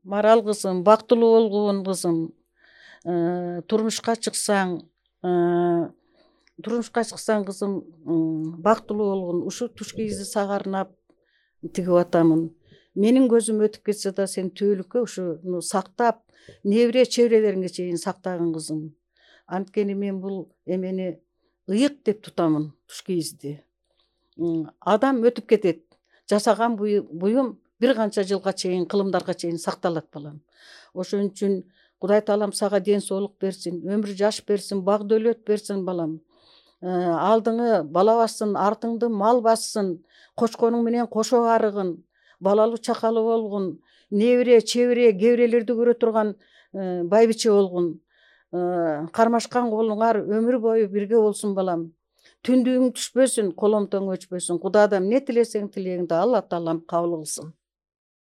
Марал кызым, бактылуу болгон кызым, турмушка чыксаң, кызым, бактылуу болгон. Ушу туш кийизди сага арнап тигип атамын. Менин көзүм өтүп кетсе да сен түбөлүккө ушуну сактап, небере чеберелериңге чейин сактагын кызым. Анткени мен бул эмени ыйык деп тутамын, туш кийизди. Адам өтүп кетет. Жасаган буюм бир канча жылга чейин, кылымдарга чейин сакталат балам. Ошон үчүн Кудай Таалам сага ден соолук берсин, өмүр жаш берсин, бак дөөлөт берсин балам. Алдыңы бала бассын, артыңды мал бассын, кочконуң менен кошо арыгын, балалуу чакалуу болгун, небере, чебере, кебирелерди көрө турган байбиче болгун. Кармашкан колуңар өмүр бою бирге болсун балам. Түндүгүң түшпөсүн, коломтоң өчпөсүн. Кудайдан эмне тилесең тилегиңди Алла Таалам кабыл кылсын.